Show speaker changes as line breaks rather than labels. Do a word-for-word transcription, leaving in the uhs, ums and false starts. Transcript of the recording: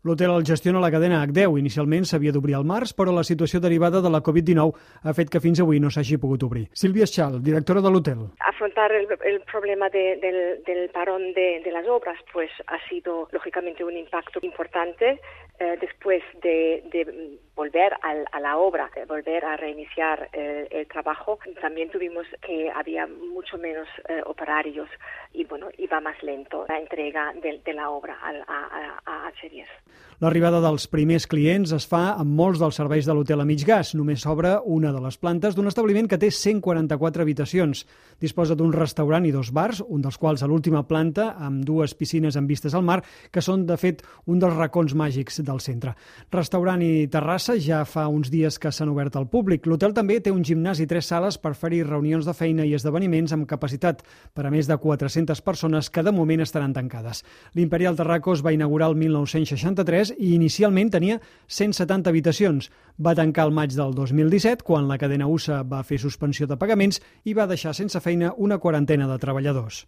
L'hotel el gestiona la cadena H deu. Inicialment s'havia d'obrir al març, però la situació derivada de la covid dinou ha fet que fins avui no s'hagi pogut obrir. Sílvia Schall, directora de l'hotel.
Afrontar el, el problema de, del, del parón de, de las obras pues ha sido lógicamente un impacto importante. Eh, después de, de volver al, a la obra, de volver a reiniciar el, el trabajo, también tuvimos que había mucho menos eh, operarios y bueno, iba más lento la entrega de, de la obra a, a, a H diez.
L'arribada dels primers clients es fa amb molts dels serveis de l'hotel a mig gas. Només s'obre una de les plantes d'un establiment que té cent quaranta-quatre habitacions. Disposa d'un restaurant i dos bars, un dels quals a l'última planta, amb dues piscines amb vistes al mar, que són, de fet, un dels racons màgics del centre. Restaurant i terrassa ja fa uns dies que s'han obert al públic. L'hotel també té un gimnàs i tres sales per fer-hi reunions de feina i esdeveniments amb capacitat per a més de quatre-centes persones que de moment estaran tancades. L'Imperial Terraco es va inaugurar el mil nou-cents seixanta-tres i inicialment tenia cent setanta habitacions. Va tancar el maig del dos mil disset, quan la cadena U S A va fer suspensió de pagaments i va deixar sense feina una quarantena de treballadors.